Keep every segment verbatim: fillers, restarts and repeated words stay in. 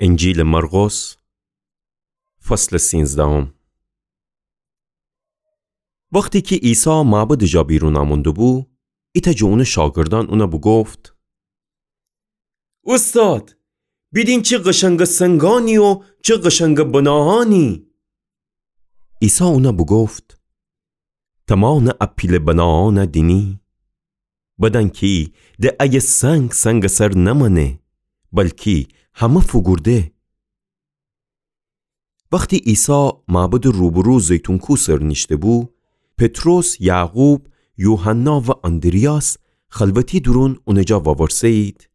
انجیلٚ مرقس، فصلٚ سینزدهم. وختی کی عیسی معبدٚ جا بیرون امونده‌بو، ایتأ جٚه اونٚ شاگردأن اونَ بوگفت: اوستاد، بیدین چی قشنگٚ سنگأنی و چی قشنگٚ بناهأنی! عیسی اونَ بوگفت: تمانٚ ا پیله بناهأنَ دینی؟ بدن کی د ایه سنگ سنگٚ سر نمأنه، بلکی همه فوگورده. وختی عیسی معبدٚ روبرو زیتون کو سر نیشته‌بو، پطرس، یعقوب، یوحنا و آندریاس خلوتی دورون اونٚ جا وورسه‌یید: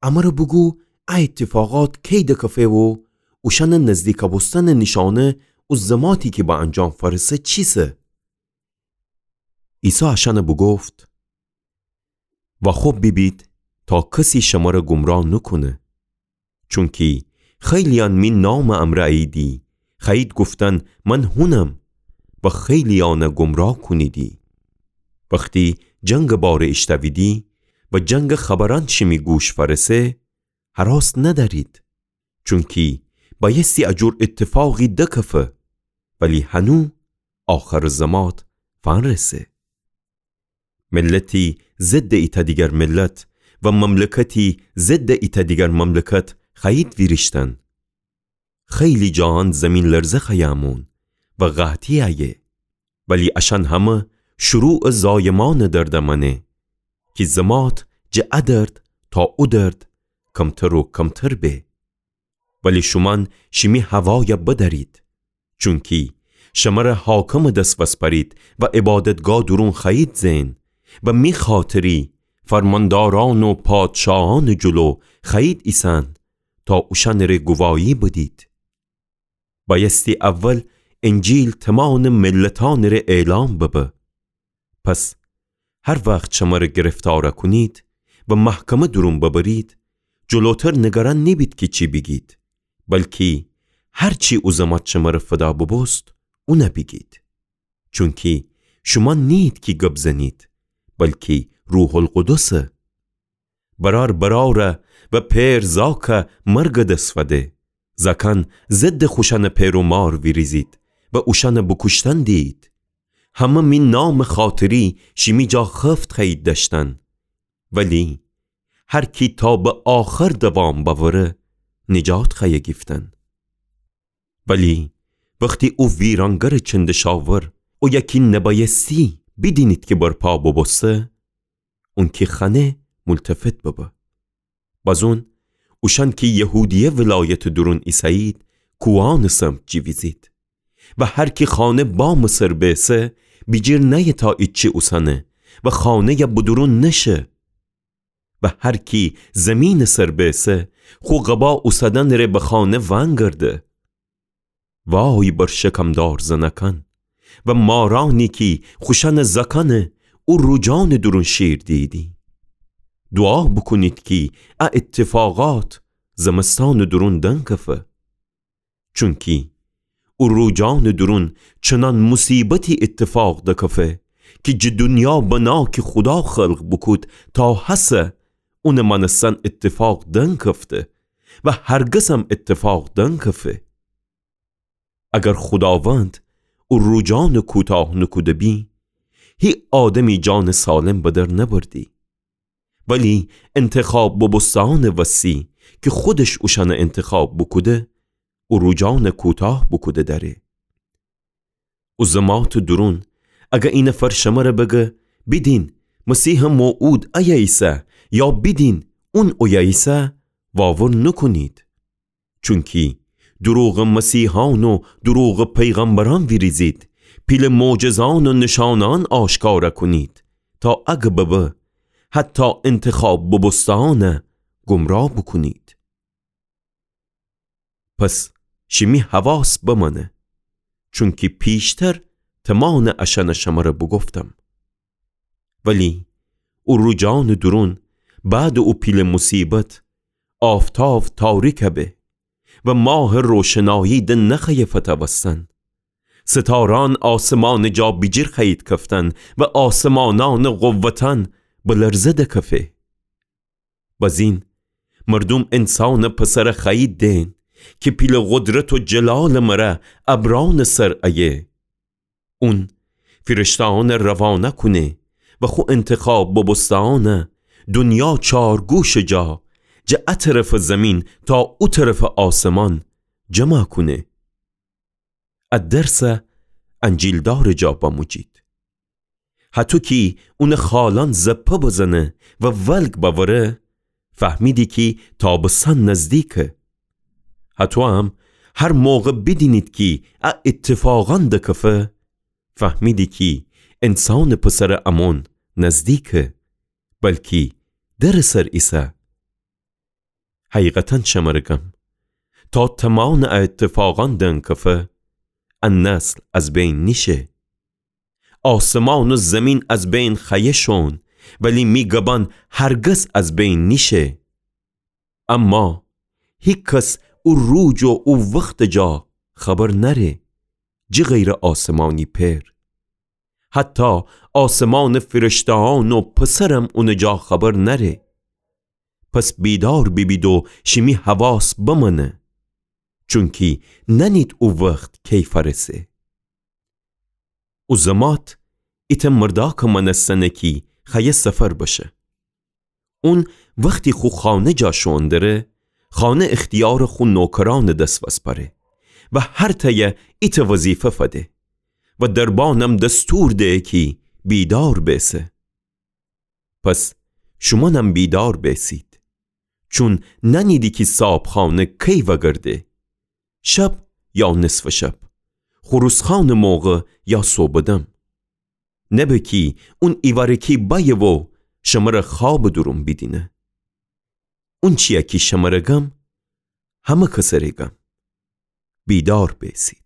امره بوگو، ا ایتفاقات کی دکفه و اوشأنٚ نزدیکَ بوستنٚ نیشأنه او زماتی کی به انجام فأرسه چیسه؟ عیسی اشأنَ بوگفت: واخو بیبید تا کسی شمره گمراه نوکونه. چونکی خیلییأن می نامٚ امرأ اییدی، خوأیید گفتن من هونم، و خیلییأنَ گمراه کونیدی. وختی جنگٚ باره ایشتأویدی و جنگٚ خبرأن شیمی گوش فأرسه، هراس ندأرید، چونکی بأیستی ا جور ایتفاقی دکفه، ولی هنو آخرٚ زمات فنرسه. ملتی ضدٚ ایتأ دیگر ملت و مملکتی ضدٚ ایتأ دیگر مملکت خوأیید ویریشتن. خیلی جاهان زیمین‌لرزه خوأیه امون و قحطی ایه. ولی اشأن همه شروعٚ زایمأنٚ درد امأنه کی زمات جٚه ا درد تا او درد کمتر و کمتر به. ولی شومأن شیمی هوایَ بدأرید، چونکی شمره حاکمٚ دس وسپأرید و عبادتگاه دورون خوأیید زئن و می خاطری فرماندارأن و پادشاهأنٚ جلو خوأیید ایسأن تا اوشأنٚره گواهی بدید. بأیستی اول انجیل تومانٚ ملتأنٚره اعلام ببه. پس هر وخت شمره گرفتار کونید و محکمه دورون ببرید، جلوتر نگران نیبید کی چی بیگید، بلکی هر چی او زمات شمره فدا ببوست، اون بیگید. چونکی شومأن نیید کی گب زنید، بلکی روح‌القدس. برأر برأرَ و پئر زاکَ مرگٚ دس فده. زاکأن ضدٚ خوشأنٚ پئر و مار ویریزید و اوشأنَ بوکوشتن دیید. همه می نامٚ خاطری شیمی جا خفت خوأیید دأشتن. ولی هر کی تا به آخر دوام بأوره، نجات خوأیه گیفتن. ولی وختی او ویرانگرٚ چندشاور، اویه کی نبأیستی بیدینید کی برپا بوبوسته، اونکی خوأنه ملتفت ببه. بازون اوشأن کی یهودیه ولایتٚ دورون ایسه‌یید، کوهأنٚ سمت جیویزید. و هر کی خانه بامٚ سر بیسه، بیجیر نأیه تا ایچی اوسنه و خانه‌یَ به دورون نشه. و هر کی زیمینٚ سر بیسه، خو قبا اوسدنٚ ره به خانه ونگرده. وای بر شکمدار زنکأن و مارأنی کی خوشأنٚ زاکأنٚ او روجانٚ دورون شیر دییدی. دوعا بوکونید کی ا ایتفاقات زمستانٚ دورون دنکفه. چونکی او روجانٚ دورون چنان موصیبتی ایتفاق دکفه کی جٚه دونیا بنا کی خودا خلق بوکود تا هسه اونٚ مأنستن ایتفاق دنکفته و هرگزم ایتفاق دنکفه. اگر خوداوند او روجانٚ کوتاه نوکوده بی، هی آدمی جانٚ سالم به در نبردی. ولی انتخاب بوبوسته‌أنٚ وسی کی خودش اوشأنَ انتخاب بوکوده، او روجانَ کوتاه بوکوده دأره. او زماتٚ دورون، اگر اینفر شمره بگه، بیدین، مسیحٚ موعود ایه ایسه، یا بیدین، اون اویه ایسه، واور نوکونید. چونکی دروغٚ مسیحأن و دروغٚ پیغمبرأن ویریزید، پیله معجزه‌أن و نشانه‌أن آشکار کونید، تا اگر ببه، حتی انتخاب بوبوسته‌أنَ گمراه بوکونید. پس شیمی حواس بمأنه، چونکی پیشتر تمامٚ اشأنَ شمره بوگفتم. ولی او روجانٚ دورون، بعدٚ او پیله موصیبت، آفتاو تاریک به و ماهٚ روشنایی د نخوأیه فتوستن. ستاره‌أن آسمانٚ جا بیجیر خوأیید کفتن و آسمانأنٚ قوتأن به لرزه دکفه. بزین مردوم انسانٚ پسرٚ خوأیی دئن کی پیلٚ قدرت و جلالٚ مره ابرانٚ سر ایه. اون فیرشته‌یأنَ روانه کونه و خو انتخاب بوبوسته‌یأنَ دونیا چارگوشٚ جا، جٚه ا طرفٚ زیمین تا او طرفٚ آسمان جمع کونه. ا درسَ انجیلدارٚ جا بموجید. هطو کی اونٚ خالأن زپه بزنه و ولگ بأوره، فهمیدی کی تابستان نزدیکه. هطویم هر موقع بیدینید کی ا ایتفاقأن دکفه، فهمیدی کی انسانٚ پسرٚ امون نزدیکه، بلکی درٚ سر ایسه. حقیقتاً شمره گم، تا تمانٚ ا ایتفاقأن دنکفه، ا نسل از بین نیشه. آسمان و زیمین از بین خوأیه شون، ولی می گبأن هرگز از بین نیشه. اما هیکس او روز و او وختٚ جا خبر نأره، جٚه غیرٚ آسمانی پئر. حتی آسمانٚ فیرشته‌یأن و پسرم اونٚ جا خبر نأره. پس بیدار بیبید و شیمی حواس بمأنه، چونکی نأنید او وخت کی فأرسه. او زمات ایتأ مرداکٚ مأنستنه کی خوأیه سفر بشه. اون وختی خو خانه جا شوئون دره، خانه اختیارٚ خو نوکرأنٚ دس وسپأره و هر تأیه ایتأ وظیفه فده و دربانم دستور ده کی بیدار بیسه. پس شومأنم بیدار بیسید، چون نأنیدی کی صابخانه کی وگرده، شب یا نصفٚ شب، خروس‌خوأنٚ موقع یا صبحٚ دم. نبه کی اون ایوارکی بأیه و شمره خوابٚ دورون بیدینه. اونچیی کی شمره گم، همه کسٚ ره گم. بیدار بیسید.